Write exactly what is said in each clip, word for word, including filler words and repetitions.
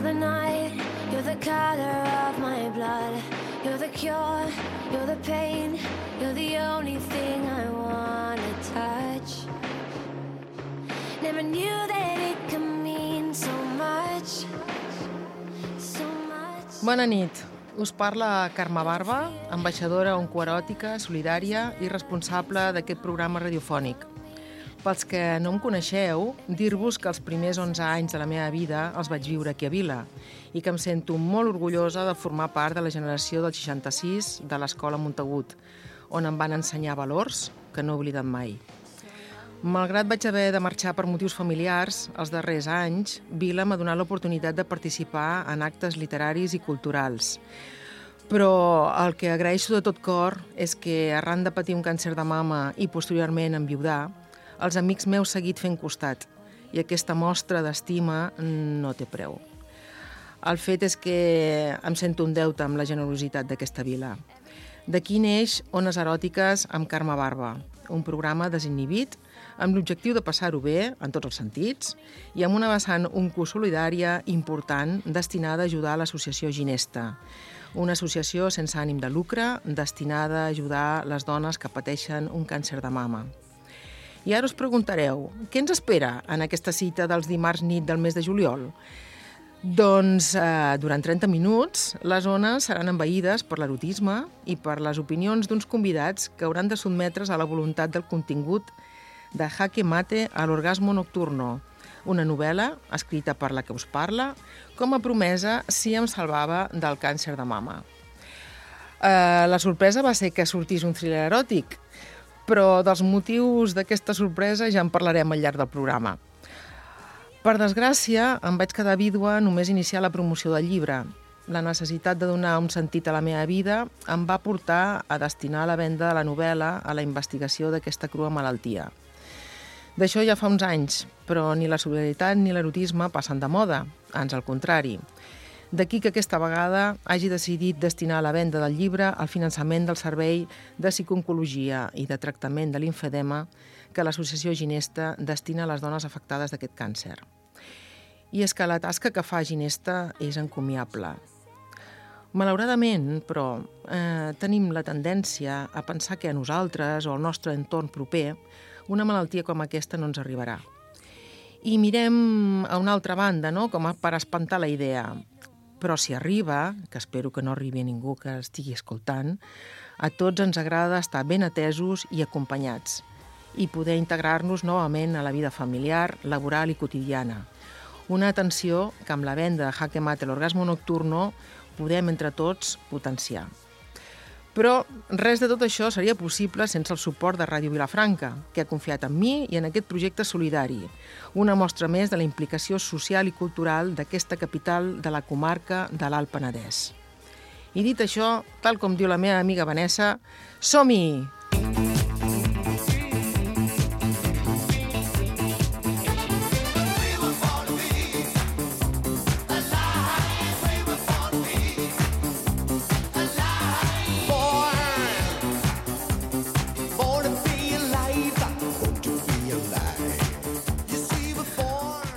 You're the night, you're the color of my blood. You're the cure, you're the pain. You're the only thing I wanna touch. Never knew that it could mean so much, so much. Bona nit. Us parla Carme Barba, ambaixadora oncoeròtica, solidària i responsable d'aquest programa radiofònic. Pels que no em coneixeu, dir-vos que els primers onze anys de la meva vida els vaig viure aquí a Vila i que em sento molt orgullosa de formar part de la generació del seixanta-sis de l'Escola Montagut, on em van ensenyar valors que no he oblidat mai. Malgrat vaig haver de marxar per motius familiars, els darrers anys, Vila m'ha donat l'oportunitat de participar en actes literaris i culturals. Però el que agraeixo de tot cor és que, arran de patir un càncer de mama i posteriorment enviudar, els amics meus seguit fent costat i aquesta mostra d'estima no té preu. El fet és que em sento un deute amb la generositat d'aquesta vila. D'aquí neix Ones Eròtiques amb Carme Barba, un programa desinhibit amb l'objectiu de passar-ho bé, en tots els sentits, i amb una vessant oncosolidària important destinada a ajudar l'Associació Ginesta, una associació sense ànim de lucre destinada a ajudar les dones que pateixen un càncer de mama. I ara us preguntareu, què ens espera en aquesta cita dels dimarts nit del mes de juliol? Doncs eh, durant trenta minuts les ones seran envaïdes per l'erotisme i per les opinions d'uns convidats que hauran de sotmetre's a la voluntat del contingut de Jaque Mate a l'orgasmo nocturno, una novel·la escrita per la que us parla com a promesa si em salvava del càncer de mama. Eh, la sorpresa va ser que sortís un thriller eròtic, però dels motius d'aquesta sorpresa ja en parlarem al llarg del programa. Per desgràcia, em vaig quedar vídua només iniciar la promoció del llibre. La necessitat de donar un sentit a la meva vida em va portar a destinar la venda de la novel·la a la investigació d'aquesta crua malaltia. D'això ja fa uns anys, però ni la solidaritat ni l'erotisme passen de moda, ans al contrari. D'aquí que aquesta vegada hagi decidit destinar la venda del llibre al finançament del servei de psicooncologia i de tractament de limfedema que l'Associació Ginesta destina a les dones afectades d'aquest càncer. I és que la tasca que fa Ginesta és encomiable. Malauradament, però, eh, tenim la tendència a pensar que a nosaltres o al nostre entorn proper una malaltia com aquesta no ens arribarà. I mirem a una altra banda, no?, com per espantar la idea. Però si arriba, que espero que no arribi a ningú que estigui escoltant, a tots ens agrada estar ben atesos i acompanyats i poder integrar-nos novament a la vida familiar, laboral i quotidiana. Una atenció que amb la venda de Jaque Mate l'orgasmo nocturno podem entre tots potenciar. Però res de tot això seria possible sense el suport de Ràdio Vilafranca, que ha confiat en mi i en aquest projecte solidari, una mostra més de la implicació social i cultural d'aquesta capital de la comarca de l'Alt Penedès. I dit això, tal com diu la meva amiga Vanessa, som-hi!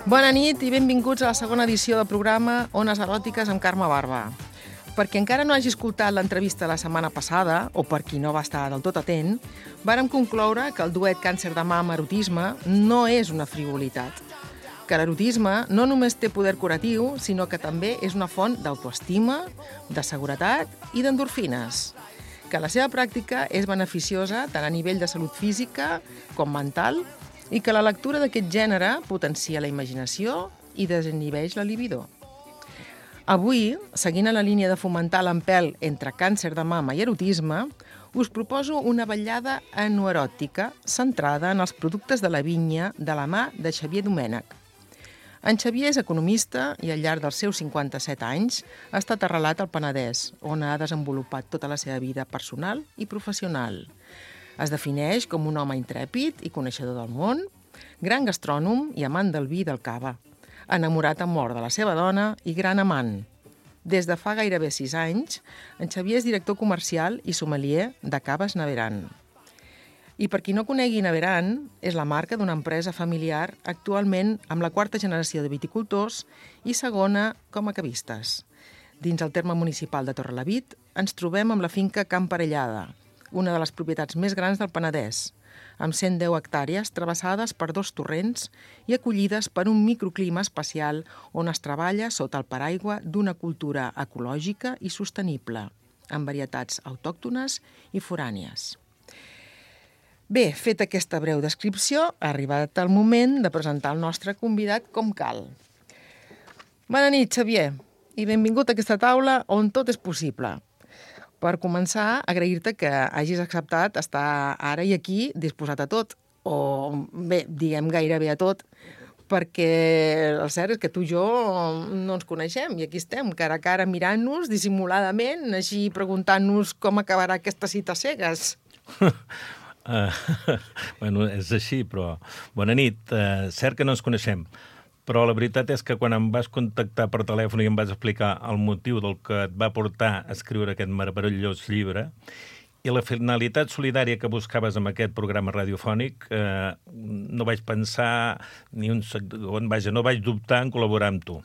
Bona nit i benvinguts a la segona edició del programa Ones Eròtiques amb Carme Barba. Per qui encara no hagi escoltat l'entrevista la setmana passada, o per qui no va estar del tot atent, vàrem concloure que el duet càncer de mama-erotisme no és una frivolitat. Que l'erotisme no només té poder curatiu, sinó que també és una font d'autoestima, de seguretat i d'endorfines. Que la seva pràctica és beneficiosa tant a nivell de salut física com mental i que la lectura d'aquest gènere potencia la imaginació i desinhibeix la libido. Avui, seguint a la línia de fomentar l'empelt entre càncer de mama i erotisme, us proposo una vetllada enoeròtica centrada en els productes de la vinya de la mà de Xavier Domènech. En Xavier és economista i al llarg dels seus cinquanta-set anys ha estat arrelat al Penedès, on ha desenvolupat tota la seva vida personal i professional. Es defineix com un home intrèpid i coneixedor del món, gran gastrònom i amant del vi i del cava, enamorat a mort de la seva dona i gran amant. Des de fa gairebé sis anys, en Xavier és director comercial i sommelier de Caves Naveran. I per qui no conegui Naveran, és la marca d'una empresa familiar actualment amb la quarta generació de viticultors i segona com a cavistes. Dins el terme municipal de Torrelavit ens trobem amb la finca Camp Parellada, una de les propietats més grans del Penedès, amb cent deu hectàrees travessades per dos torrents i acollides per un microclima especial on es treballa sota el paraigua d'una cultura ecològica i sostenible, amb varietats autòctones i forànies. Bé, feta aquesta breu descripció, ha arribat el moment de presentar el nostre convidat com cal. Bona nit, Xavier, i benvingut a aquesta taula on tot és possible. Per començar, agrair-te que hagis acceptat estar ara i aquí disposat a tot, o bé, diguem gairebé a tot, perquè el cert és que tu i jo no ens coneixem i aquí estem, cara a cara mirant-nos dissimuladament, així preguntant-nos com acabarà aquesta cita cegues. Uh, bueno, és així, però... Bona nit. Uh, cert que no ens coneixem, però la veritat és que quan em vas contactar per telèfon i em vas explicar el motiu del que et va portar a escriure aquest meravellós llibre i la finalitat solidària que buscaves amb aquest programa radiofònic, eh, no vaig pensar ni un segon, vaja, no vaig dubtar en col·laborar amb tu.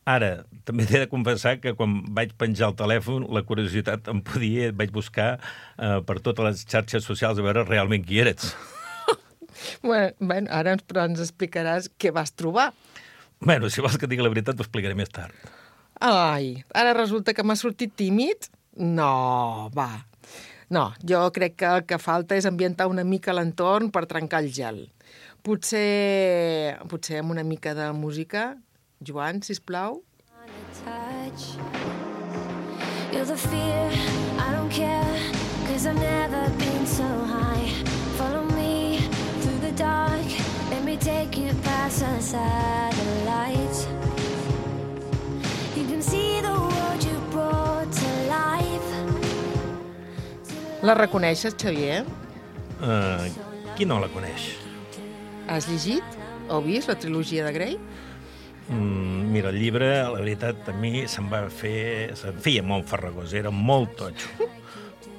Ara, també t'he de confessar que quan vaig penjar el telèfon, la curiositat em podia, vaig buscar eh, per totes les xarxes socials a veure realment qui eres. Bueno, bueno, ara ens, però ens explicaràs què vas trobar. Bueno, si vols que et digui la veritat, t'ho explicaré més tard. Ai, ara resulta que m'ha sortit tímid? No, va. No, jo crec que el que falta és ambientar una mica l'entorn per trencar el gel. Potser, potser amb una mica de música... Joan, sisplau. You're the fear, I don't care, cause I've never been so high. Follow me through the dark, let me take you past the satellites. You can see the world you brought to life. La reconeixes, Xavier? Uh, qui no la coneix? Has llegit o vist la trilogia de Grey? Mm, mira, el llibre, la veritat, a mi se'm va fer... se'm feia molt farragós, era molt totxo.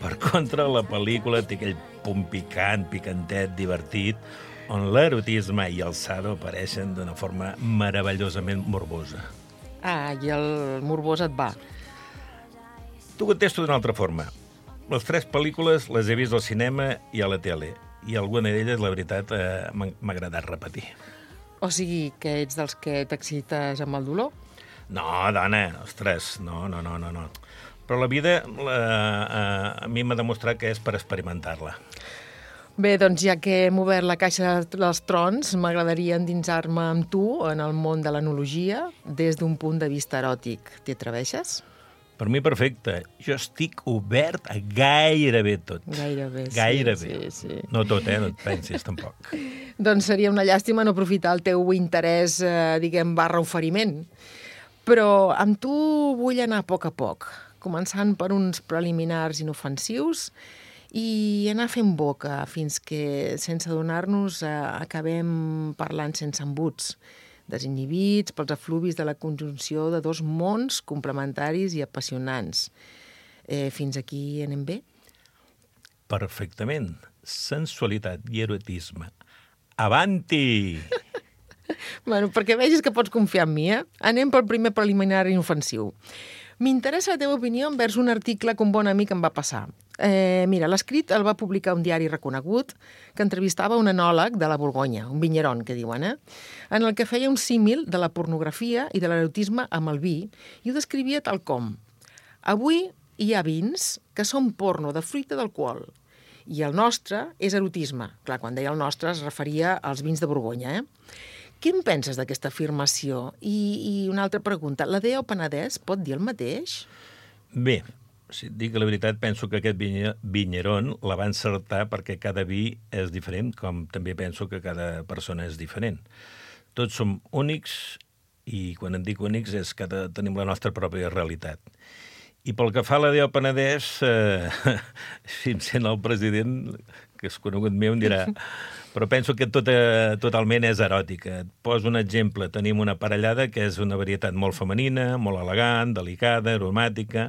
Per contra, la pel·lícula té aquell punt picant, picantet, divertit, on l'erotisme i el sado apareixen d'una forma meravellosament morbosa. Ah, i el morbós et va. T'ho contesto d'una altra forma. Les tres pel·lícules les he vist al cinema i a la tele, i alguna d'elles, la veritat, eh, m'ha agradat repetir. O sigui, que ets dels que t'excites amb el dolor? No, dona, ostres, no, no, no, no, no. Però la vida la, a, a mi m'ha demostrat que és per experimentar-la. Bé, doncs ja que hem obert la caixa dels trons, m'agradaria endinsar-me amb tu en el món de l'enologia des d'un punt de vista eròtic. T'hi atreveixes? Per mi perfecte. Jo estic obert a gairebé tot. Gairebé, sí. Gairebé. Sí, sí. No tot, eh? No et pensis, tampoc. Doncs seria una llàstima no aprofitar el teu interès, eh, diguem, barra oferiment. Però amb tu vull anar a poc a poc, començant per uns preliminars inofensius i anar fent boca fins que, sense adonar-nos, eh, acabem parlant sense embuts, desinhibits pels efluvis de la conjunció de dos mons complementaris i apassionants. Eh, fins aquí anem bé? Perfectament. Sensualitat i erotisme. Avanti! Bueno, perquè vegis que pots confiar en mi, eh? Anem pel primer preliminar inofensiu. M'interessa la teva opinió envers un article que un bon amic em va passar. Eh, mira, l'escrit el va publicar un diari reconegut que entrevistava un enòleg de la Borgonya, un vinyeron, que diuen, eh? En el que feia un símil de la pornografia i de l'erotisme amb el vi i ho descrivia tal com: avui hi ha vins que són porno de fruita d'alcohol i el nostre és erotisme. Clar, quan deia el nostre es referia als vins de Borgonya, eh? Què en penses d'aquesta afirmació? I, i una altra pregunta, la D E O Penedès pot dir el mateix? Bé, si et dic la veritat, penso que aquest vinyeron la va encertar perquè cada vi és diferent, com també penso que cada persona és diferent. Tots som únics i quan em dic únics és que tenim la nostra pròpia realitat. I pel que fa a la D E O Penedès, eh, si em sent el president, que és conegut meu, em dirà... Però penso que tot, eh, totalment és eròtica. Et poso un exemple. Tenim una parellada que és una varietat molt femenina, molt elegant, delicada, aromàtica.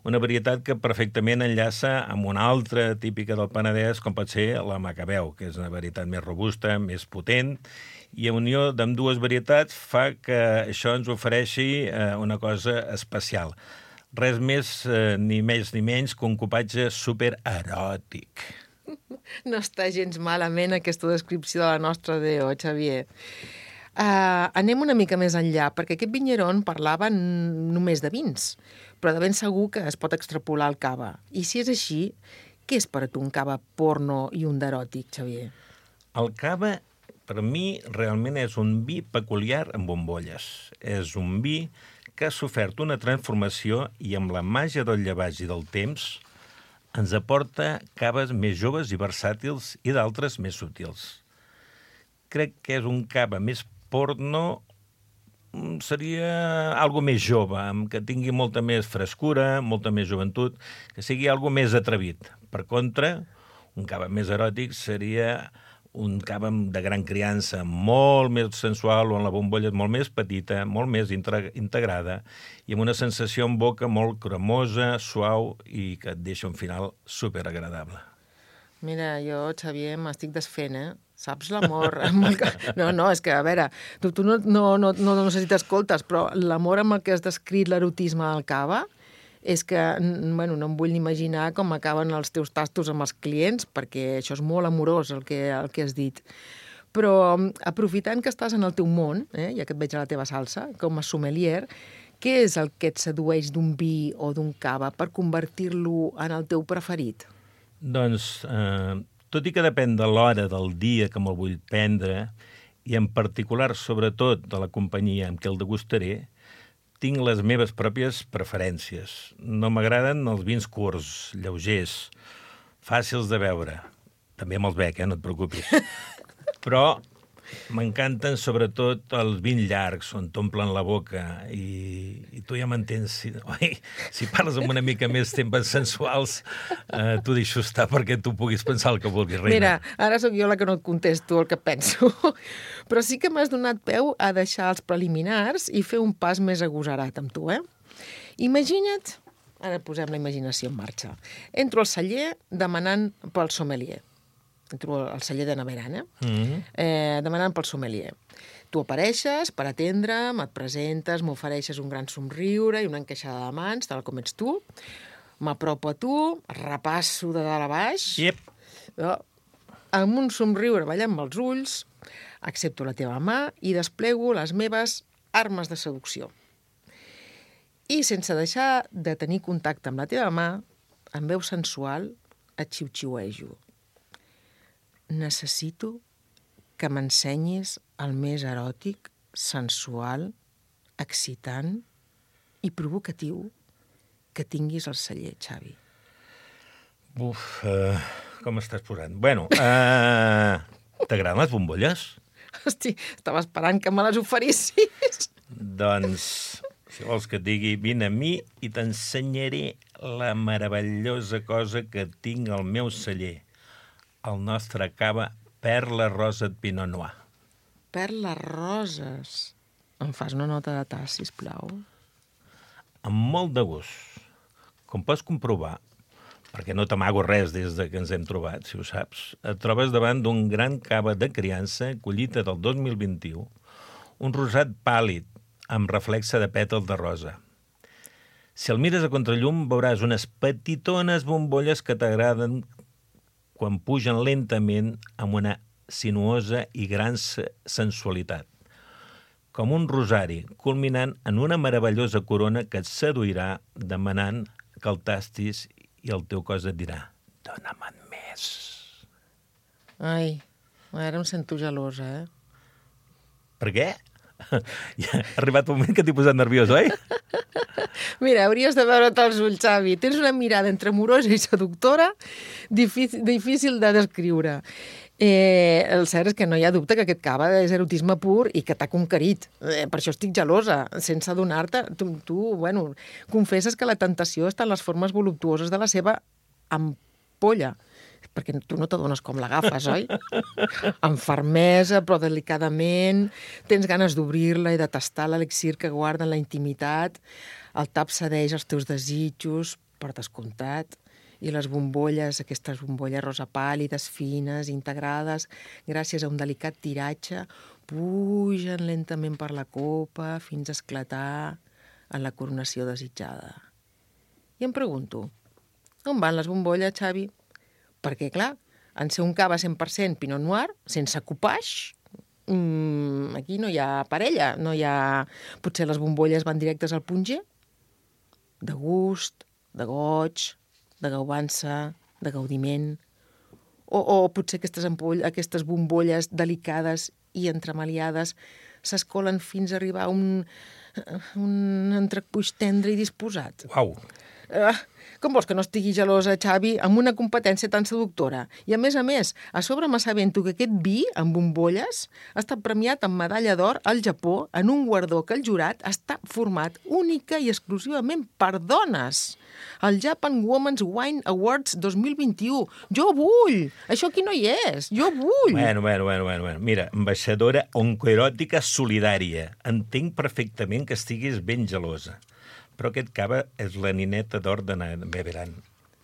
una varietat que perfectament enllaça amb una altra típica del Penedès, com pot ser la Macabeu, que és una varietat més robusta, més potent, i a unió d'ambdues varietats fa que això ens ofereixi eh, una cosa especial. Res més, eh, ni més ni menys que un cupatge supereròtic. No està gens malament aquesta descripció de la nostra D O, Xavier. Uh, anem una mica més enllà, perquè aquest vinyeron parlava només de vins, però de ben segur que es pot extrapolar al cava. I si és així, què és per a tu un cava porno i un d'eròtic, Xavier? El cava, per mi, realment és un vi peculiar amb bombolles. És un vi que ha sofert una transformació i amb la màgia del llevats i del temps ens aporta caves més joves i versàtils i d'altres més sutils. Crec que és un cava més porno, seria algo més jove, que tingui molta més frescura, molta més joventut, que sigui algo més atrevit. Per contra, un cava més eròtic seria un cava de gran criança, molt més sensual, on la bombolla és molt més petita, molt més integrada, i amb una sensació en boca molt cremosa, suau, i que et deixa un final superagradable. Mira, jo, Xavier, m'estic desfent, eh? Saps l'amor? No, no, és que, a veure, tu, tu no, no, no, no, no sé si t'escoltes, però l'amor amb el que has descrit l'erotisme del cava és que, bueno, no em vull ni imaginar com acaben els teus tastos amb els clients, perquè això és molt amorós, el que, el que has dit. Però, aprofitant que estàs en el teu món, eh, ja que et veig a la teva salsa, com a sommelier, què és el que et sedueix d'un vi o d'un cava per convertir-lo en el teu preferit? Doncs, eh, tot i que depèn de l'hora del dia que me'l vull prendre, i en particular, sobretot, de la companyia amb què el degustaré, tinc les meves pròpies preferències. No m'agraden els vins curts, lleugers, fàcils de beure. També me'ls bec, eh? No et preocupis. Però m'encanten sobretot els vins llargs, on t'omplen la boca, i, i tu ja m'entens. Si, oi, si parles amb una mica més temes sensuals, eh, t'ho deixo estar perquè tu puguis pensar el que vulguis, reina. Mira, ara sóc jo la que no et contesto el que penso. Però sí que m'has donat peu a deixar els preliminars i fer un pas més agosarat amb tu, eh? Imagina't, ara posem la imaginació en marxa, entro al celler demanant pel sommelier. Entro al celler de Naveran, eh? Mm-hmm. eh? Demanant pel sommelier. Tu apareixes per atendre'm, et presentes, m'ofereixes un gran somriure i una encaixada de mans, tal com ets tu. M'apropo a tu, repasso de dalt a baix. Yep. No? Amb un somriure ballant amb els ulls, accepto la teva mà i desplego les meves armes de seducció. I sense deixar de tenir contacte amb la teva mà, amb veu sensual, et xiu-xiuejo. Necessito que m'ensenyis el més eròtic, sensual, excitant i provocatiu que tinguis al celler, Xavi. Uf, uh, com estàs posant? Bueno, uh, t'agraden les bombolles? Hosti, estava esperant que me les oferissis. Doncs, si vols que et digui, vine a mi i t'ensenyaré la meravellosa cosa que tinc al meu celler. El nostre cava Perla Rosa de Pinot Noir. Perles roses. Em fas una nota de tas, sisplau? Amb molt de gust. Com pots comprovar, perquè no t'amago res des de que ens hem trobat, si ho saps, et trobes davant d'un gran cava de criança, collita del dos mil vint-i-u, un rosat pàl·lid, amb reflexe de pètals de rosa. Si el mires a contrallum, veuràs unes petitones bombolles que t'agraden quan pugen lentament amb una sinuosa i gran sensualitat, com un rosari, culminant en una meravellosa corona que et seduirà demanant que el tastis i el teu cos et dirà «Dóna-me'n més». Ai, ara em sento gelosa, eh? Per què? Ja ha arribat un moment que t'he posat nerviós, oi? Mira, hauries de veure't els ulls, Xavi. Tens una mirada entre amorosa i seductora difícil, difícil de descriure. Eh, el cert és que no hi ha dubte que aquest cava és erotisme pur i que t'ha conquerit. Eh, per això estic gelosa, sense adonar-te. Tu, tu, bueno, confesses que la tentació està en les formes voluptuoses de la seva ampolla, perquè tu no t'adones com l'agafes, oi? Amb fermesa, però delicadament, tens ganes d'obrir-la i de tastar l'elixir que guarda en la intimitat, el tap cedeix els teus desitjos, per descomptat. I les bombolles, aquestes bombolles rosa pàl·lides, fines, integrades, gràcies a un delicat tiratge, pugen lentament per la copa fins a esclatar en la coronació desitjada. I em pregunto, on van les bombolles, Xavi? Perquè, clar, en ser un cava cent per cent Pinot Noir, sense copaix, mmm, aquí no hi ha parella, no hi ha... Potser les bombolles van directes al punger? De gust, de goig, de gaubança, de gaudiment. O, o potser aquestes, ampoll, aquestes bombolles delicades i entremaliades s'escolen fins a arribar a un, un entrecuix tendre i disposat. Uau! Uh, com vols que no estigui gelosa, Xavi, amb una competència tan seductora? I a més a més, a sobre m'assabento que aquest vi amb bombolles ha estat premiat amb medalla d'or al Japó en un guardó que el jurat està format única i exclusivament per dones. El Japan Women's Wine Awards dos mil vint-i-u. Jo vull! Això aquí no hi és. Jo vull! Bueno, bueno, bueno, bueno. bueno. Mira, ambaixadora oncoeròtica solidària. Entenc perfectament que estiguis ben gelosa. Però aquest cava és la nineta d'or de Beveran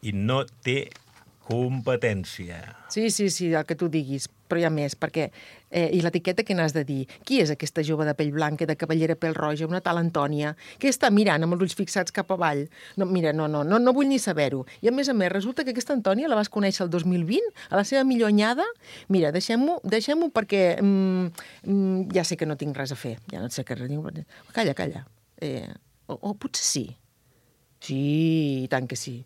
i no té competència. Sí, sí, sí, el que tu diguis, però hi ha més, perquè... Eh, I l'etiqueta que n'has de dir? Qui és aquesta jove de pell blanca i de cabellera pèl roja, una tal Antònia, que està mirant amb els ulls fixats cap avall? No, mira, no, no, no, no vull ni saber-ho. I a més a més, resulta que aquesta Antònia la vas conèixer el dos mil vint, a la seva millor anyada? Mira, deixem-ho deixem-ho perquè mm, mm, ja sé que no tinc res a fer. Ja no sé què... Calla, calla. Eh... O, o potser sí. Sí, i tant que sí.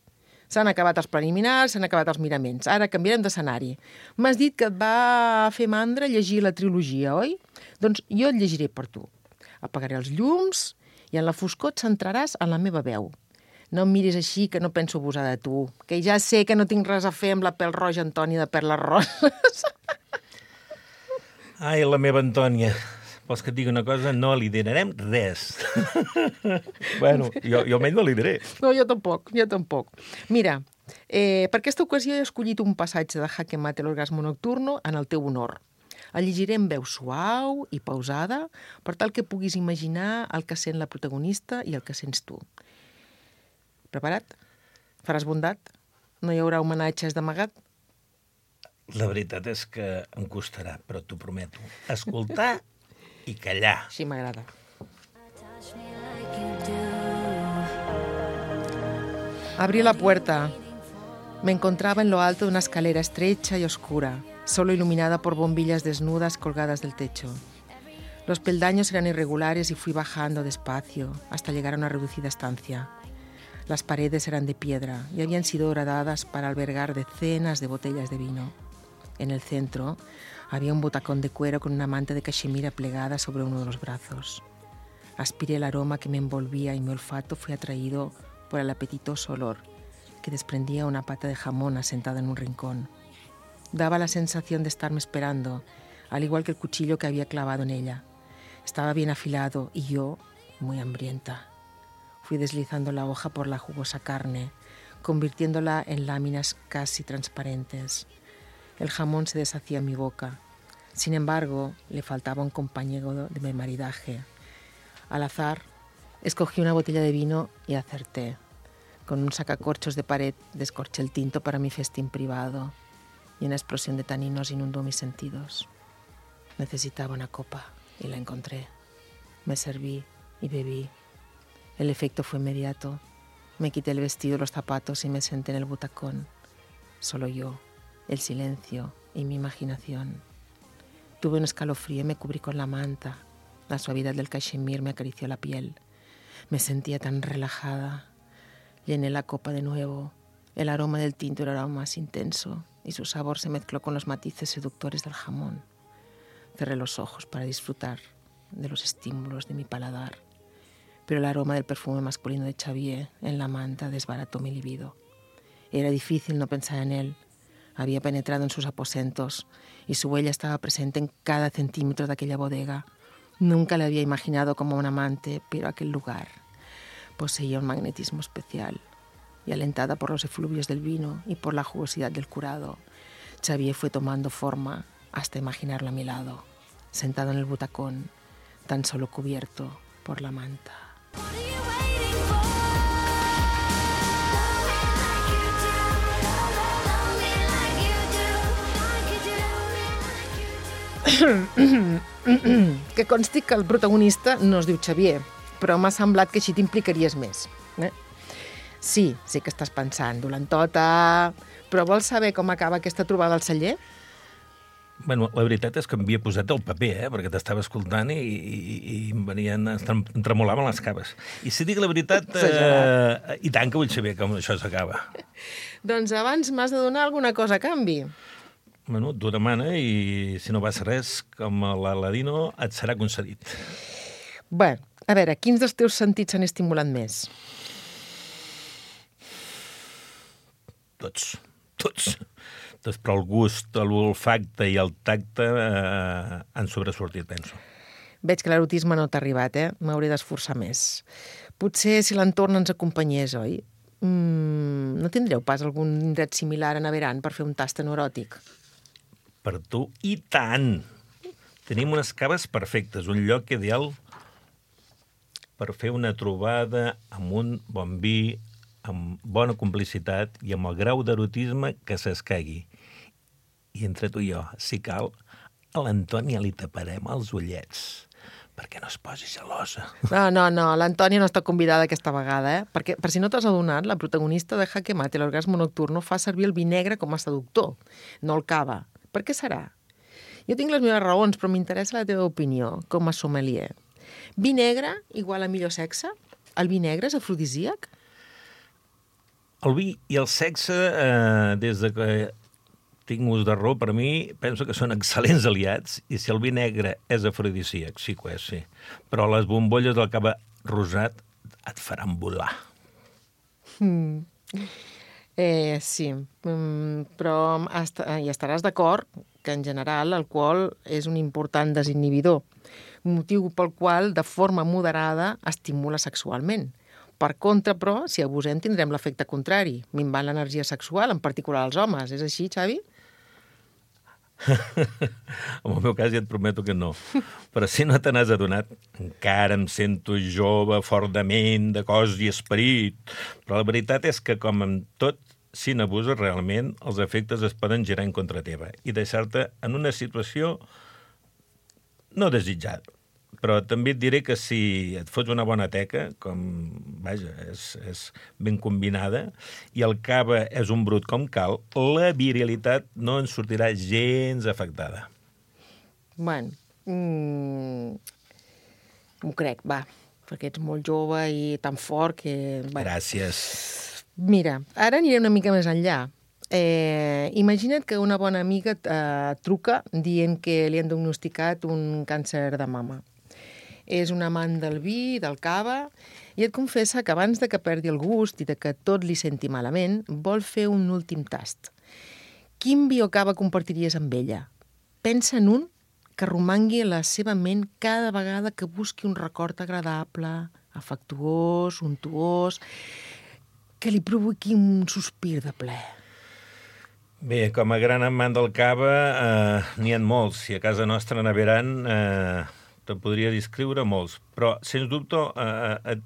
S'han acabat els preliminars, s'han acabat els miraments. Ara canviarem d'escenari. M'has dit que et va fer mandra llegir la trilogia, oi? Doncs jo et llegiré per tu. Apagaré els llums i en la foscor et centraràs en la meva veu. No em miris així, que no penso abusar de tu, que ja sé que no tinc res a fer amb la pèl roja Antònia de Perles Roses. Ai, la meva Antònia... Vols que et digui una cosa? No liderarem res. Bueno, jo, jo almenys no lideraré. No, jo tampoc, jo tampoc. Mira, eh, per aquesta ocasió he escollit un passatge de Jaque Mate l'orgasmo nocturno en el teu honor. El llegiré en veu suau i pausada per tal que puguis imaginar el que sent la protagonista i el que sents tu. Preparat? Faràs bondat? No hi haurà homenatges d'amagat? La veritat és que em costarà, però t'ho prometo. Escoltar i callar. Sí, m'agrada. Abrí la puerta. Me encontraba en lo alto de una escalera estrecha y oscura, solo iluminada por bombillas desnudas colgadas del techo. Los peldaños eran irregulares y fui bajando despacio hasta llegar a una reducida estancia. Las paredes eran de piedra y habían sido horadadas para albergar decenas de botellas de vino. En el centro había un butacón de cuero con una manta de cachemira plegada sobre uno de los brazos. Aspiré el aroma que me envolvía y mi olfato fue atraído por el apetitoso olor que desprendía una pata de jamón asentada en un rincón. Daba la sensación de estarme esperando, al igual que el cuchillo que había clavado en ella. Estaba bien afilado y yo, muy hambrienta. Fui deslizando la hoja por la jugosa carne, convirtiéndola en láminas casi transparentes. El jamón se deshacía en mi boca. Sin embargo, le faltaba un compañero de mi maridaje. Al azar, escogí una botella de vino y acerté. Con un sacacorchos de pared descorché el tinto para mi festín privado y una explosión de taninos inundó mis sentidos. Necesitaba una copa y la encontré. Me serví y bebí. El efecto fue inmediato. Me quité el vestido y los zapatos y me senté en el butacón. Solo yo, el silencio y mi imaginación. Tuve un escalofrío y me cubrí con la manta. La suavidad del cachemir me acarició la piel. Me sentía tan relajada. Llené la copa de nuevo. El aroma del tinto era aún más intenso y su sabor se mezcló con los matices seductores del jamón. Cerré los ojos para disfrutar de los estímulos de mi paladar, pero el aroma del perfume masculino de Xavier en la manta desbarató mi libido. Era difícil no pensar en él. Había penetrado en sus aposentos y su huella estaba presente en cada centímetro de aquella bodega. Nunca le había imaginado como un amante, pero aquel lugar poseía un magnetismo especial. Y alentada por los efluvios del vino y por la jugosidad del curado, Xavier fue tomando forma hasta imaginarlo a mi lado, sentado en el butacón, tan solo cubierto por la manta. What are you waiting for? Que consti que el protagonista no es diu Xavier, però m'ha semblat que així t'implicaries més. Eh? Sí, sí que estàs pensant, dolentota... Però vols saber com acaba aquesta trobada al celler? Bueno, la veritat és que m'havia posat el paper, eh? Perquè t'estava escoltant i, i, i em venien, em tremolaven les caves. I si dic la veritat, eh, i tant que vull saber com això s'acaba. Doncs abans m'has de donar alguna cosa a canvi. Bueno, tu demana i si no vas res, com l'Aladino, et serà concedit. Bé, a veure, quins dels teus sentits s'han estimulat més? Tots, tots. Doncs, però el gust, l'olfacte i el tacte eh, han sobresortit, penso. Veig que l'erotisme no t'ha arribat, eh? M'hauré d'esforçar més. Potser si l'entorn ens acompanyés, oi? Mm, no tindreu pas algun indret similar a Naveran per fer un tast eròtic? Per tu, i tant! Tenim unes caves perfectes, un lloc ideal per fer una trobada amb un bon vi, amb bona complicitat i amb el grau d'erotisme que s'escaigui. I entre tu i jo, si cal, a l'Antònia li taparem els ullets perquè no es posi gelosa. No, no, no, l'Antònia no està convidada aquesta vegada, eh? Perquè, per si no t'has adonat, la protagonista de Jaque Mate, l'orgasme nocturno, fa servir el vi negre com a seductor, no el cava. Per què serà? Jo tinc les meves raons, però m'interessa la teva opinió, com a sommelier. Vi negre igual a millor sexe? El vi negre és afrodisíac? El vi i el sexe, eh, des de que tinc ús de raó, per mi, penso que són excel·lents aliats, i si el vi negre és afrodisíac, sí que ho és, sí. Però les bombolles del cava rosat et faran volar. Mm. Eh, sí, mm, però est hi estaràs d'acord que, en general, l'alcohol és un important desinhibidor, motiu pel qual, de forma moderada, estimula sexualment. Per contra, però, si abusem, tindrem l'efecte contrari, minvant l'energia sexual, en particular als homes. És així, Xavi? En el meu cas ja et prometo que no. Però si no te n'has adonat, encara em sento jove, fort de ment, de cos i esperit. Però la veritat és que, com en tot, si n'abuses realment, els efectes es poden girar en contra teva i deixar-te en una situació no desitjada. Però també et diré que si et fots una bona teca, com, vaja, és, és ben combinada, i el cava és un brut com cal, la virilitat no en sortirà gens afectada. Bueno, mm, m'ho crec, va, perquè ets molt jove i tan fort que... Bueno. Gràcies. Mira, ara aniré una mica més enllà. Eh, imagina't que una bona amiga eh, truca dient que li han diagnosticat un càncer de mama. És un amant del vi, del cava, i et confessa que abans de que perdi el gust i de que tot li senti malament, vol fer un últim tast. Quin vi o cava compartiries amb ella? Pensa en un que romangui a la seva ment cada vegada que busqui un record agradable, afectuós, untuós, que li provoqui un sospir de plaer. Bé, com a gran amant del cava, eh, n'hi ha molts. I a casa nostra, a Naveran, eh, te'n podria descriure molts. Però, sens dubte, eh, et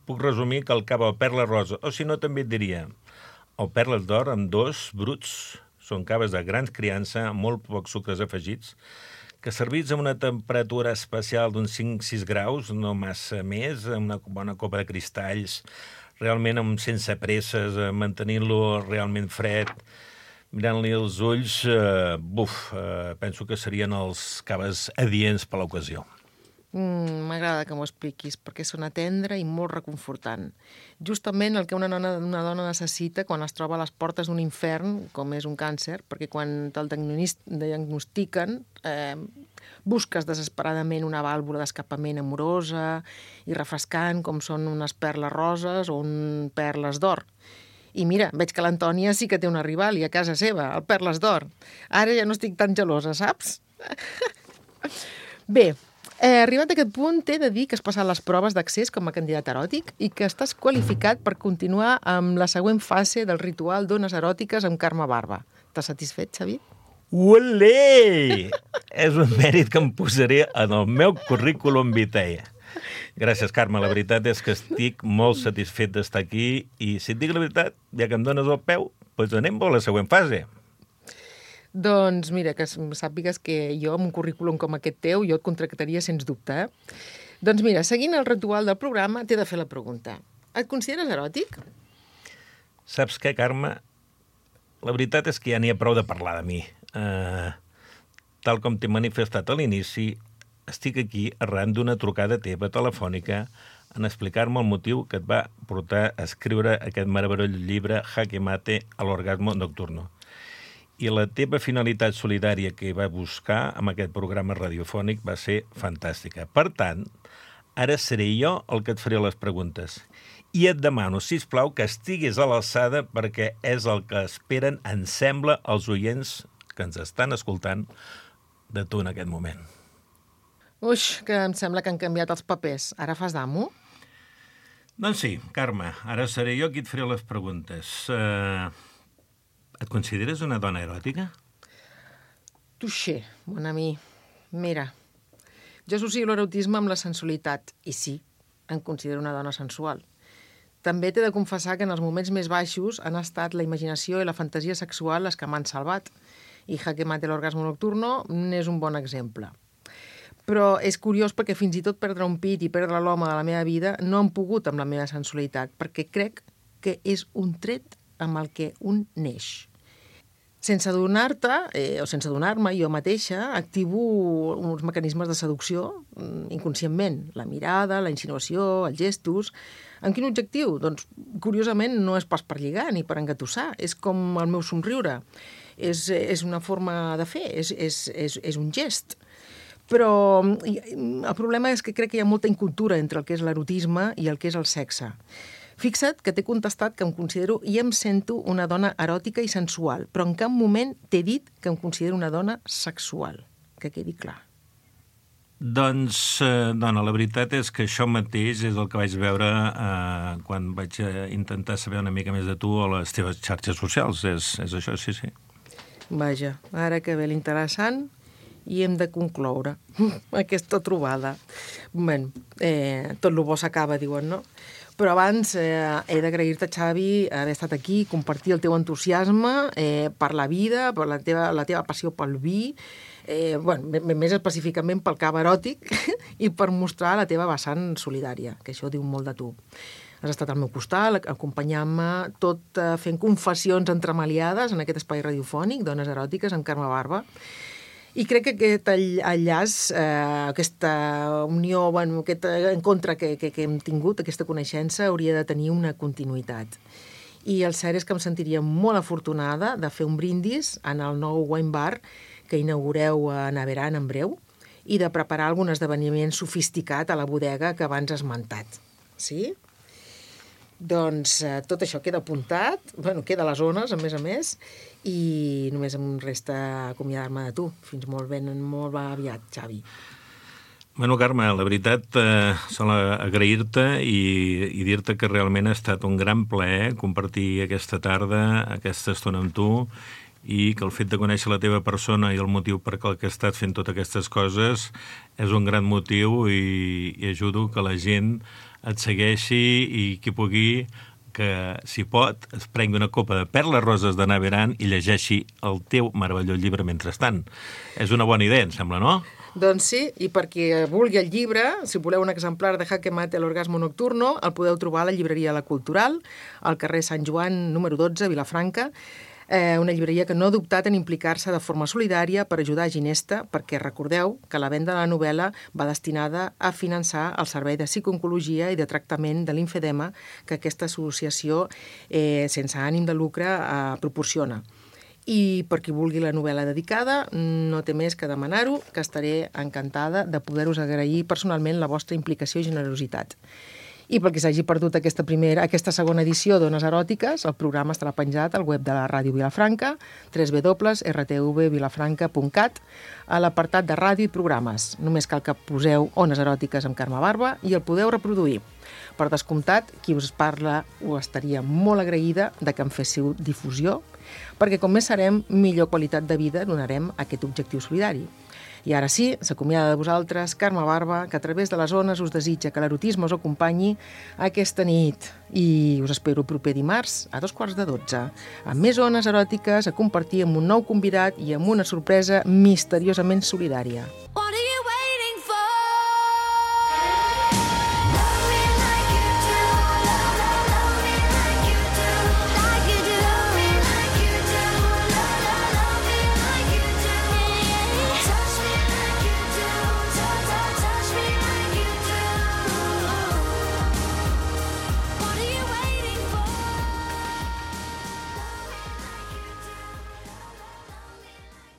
puc resumir que el cava o perla rosa, o si no, també et diria, o perles d'or amb dos bruts, són caves de grans criança, amb molt pocs sucres afegits, que servits a una temperatura especial d'uns cinc a sis graus, no massa més, amb una bona copa de cristalls, realment amb, sense presses, mantenint-lo realment fred, mirant-li els ulls, eh, buf, eh, penso que serien els caves adients per l'ocasió. Mm, m'agrada que m'ho expliquis, perquè sona tendre i molt reconfortant. Justament el que una dona, una dona necessita quan es troba a les portes d'un infern, com és un càncer, perquè quan te'l diagnostiquen, eh, busques desesperadament una vàlvula d'escapament amorosa i refrescant, com són unes perles roses o un perles d'or. I mira, veig que l'Antònia sí que té una rival i a casa seva, el perles d'or. Ara ja no estic tan gelosa, saps? Bé, Eh, arribat a aquest punt, t'he de dir que has passat les proves d'accés com a candidat eròtic i que estàs qualificat per continuar amb la següent fase del ritual d'ones eròtiques amb Carme Barba. T'has satisfet, Xavi? Olé! És un mèrit que em posaré en el meu currículum vitae. Gràcies, Carme. La veritat és que estic molt satisfet d'estar aquí i, si et dic la veritat, ja que em dones el peu, doncs anem a la següent fase. Doncs mira, que sàpigues que jo, amb un currículum com aquest teu, jo et contractaria sens dubte, eh? Doncs mira, seguint el ritual del programa, t'he de fer la pregunta. Et consideres eròtic? Saps què, Carme? La veritat és que ja n'hi ha prou de parlar de mi. Uh, tal com t'he manifestat a l'inici, estic aquí arran d'una trucada teva telefònica en explicar-me el motiu que et va portar a escriure aquest meravellós llibre Jaque Mate a l'orgasmo nocturno. I la teva finalitat solidària que va buscar amb aquest programa radiofònic va ser fantàstica. Per tant, ara seré jo el que et faré les preguntes. I et demano, sisplau, que estiguis a l'alçada perquè és el que esperen, em sembla, els oients que ens estan escoltant de tu en aquest moment. Uix, que em sembla que han canviat els papers. Ara fas d'amo? Doncs sí, Carme, ara seré jo qui et faré les preguntes. Uh, et consideres una dona eròtica? Touché, mon ami. Mira, jo associo l'erotisme amb la sensualitat, i sí, em considero una dona sensual. També t'he de confessar que en els moments més baixos han estat la imaginació i la fantasia sexual les que m'han salvat. I Jaque Mate l'orgasmo nocturno n'és un bon exemple. Però és curiós perquè fins i tot perdre un pit i perdre l'home de la meva vida no han pogut amb la meva sensualitat, perquè crec que és un tret amb el que un neix. Sense adonar-te, eh, o sense adonar-me, jo mateixa activo uns mecanismes de seducció inconscientment. La mirada, la insinuació, els gestos. Amb quin objectiu? Doncs, curiosament, no és pas per lligar ni per engatussar. És com el meu somriure. És, és una forma de fer, és, és, és, és un gest. Però el problema és que crec que hi ha molta incultura entre el que és l'erotisme i el que és el sexe. Fixa't que t'he contestat que em considero i em sento una dona eròtica i sensual, però en cap moment t'he dit que em considero una dona sexual. Que quedi clar. Doncs, eh, dona, la veritat és que això mateix és el que vaig veure eh, quan vaig intentar saber una mica més de tu a les teves xarxes socials. És, és això, sí, sí. Vaja, ara que ve l'interessant i hem de concloure aquesta trobada. Bé, eh, tot lo bo s'acaba, diuen, no? Però abans eh, he d'agrair-te, Xavi, haver estat aquí, compartir el teu entusiasme eh, per la vida, per la teva, la teva passió pel vi, eh, bueno, més específicament pel cava eròtic i per mostrar la teva vessant solidària, que això diu molt de tu. Has estat al meu costat, acompanyant-me, tot eh, fent confessions entremaliades en aquest espai radiofònic, Dones eròtiques, amb Carme Barba. I crec que aquest enllaç, eh, aquesta unió, bueno, aquest encontre que, que, que hem tingut, aquesta coneixença, hauria de tenir una continuïtat. I el cert és que em sentiria molt afortunada de fer un brindis en el nou wine bar que inaugureu a Naveran en breu i de preparar algun esdeveniment sofisticat a la bodega que abans has esmentat. Sí? Doncs eh, tot això queda apuntat, bueno, queda a les zones, a més a més, i només em resta acomiadar-me de tu. Fins molt ben, molt aviat, Xavi. Bueno, Carme, la veritat, eh, sol agrair-te i, i dir-te que realment ha estat un gran plaer compartir aquesta tarda, aquesta estona amb tu, i que el fet de conèixer la teva persona i el motiu per què has estat fent totes aquestes coses és un gran motiu i, i ajudo que la gent et segueixi i qui pugui, que si pot, es prengui una copa de perles roses de Naveran i llegeixi el teu meravellós llibre mentrestant. És una bona idea, em sembla, no? Doncs sí, i per qui vulgui el llibre, si voleu un exemplar de Jaque Mate l'orgasmo nocturno, el podeu trobar a la llibreria La Cultural, al carrer Sant Joan, número dotze, Vilafranca, Eh, una llibreria que no ha dubtat en implicar-se de forma solidària per ajudar a Ginesta, perquè recordeu que la venda de la novel·la va destinada a finançar el servei de psicooncologia i de tractament de l'infedema que aquesta associació eh, sense ànim de lucre eh, proporciona. I per qui vulgui la novel·la dedicada, no té més que demanar-ho, que estaré encantada de poder-us agrair personalment la vostra implicació i generositat. I pel que s'hagi perdut aquesta, primera, aquesta segona edició d'Ones Eròtiques, el programa estarà penjat al web de la Ràdio Vilafranca, w w w punt r t v vilafranca punt cat, a l'apartat de ràdio i programes. Només cal que poseu Ones Eròtiques amb Carme Barba i el podeu reproduir. Per descomptat, qui us parla ho estaria molt agraïda de que en féssiu difusió, perquè com més serem, millor qualitat de vida donarem a aquest objectiu solidari. I ara sí, s'acomiada de vosaltres Carme Barba, que a través de les ones us desitja que l'erotisme us acompanyi aquesta nit. I us espero proper dimarts a dos quarts de dotze, amb més ones eròtiques a compartir amb un nou convidat i amb una sorpresa misteriosament solidària.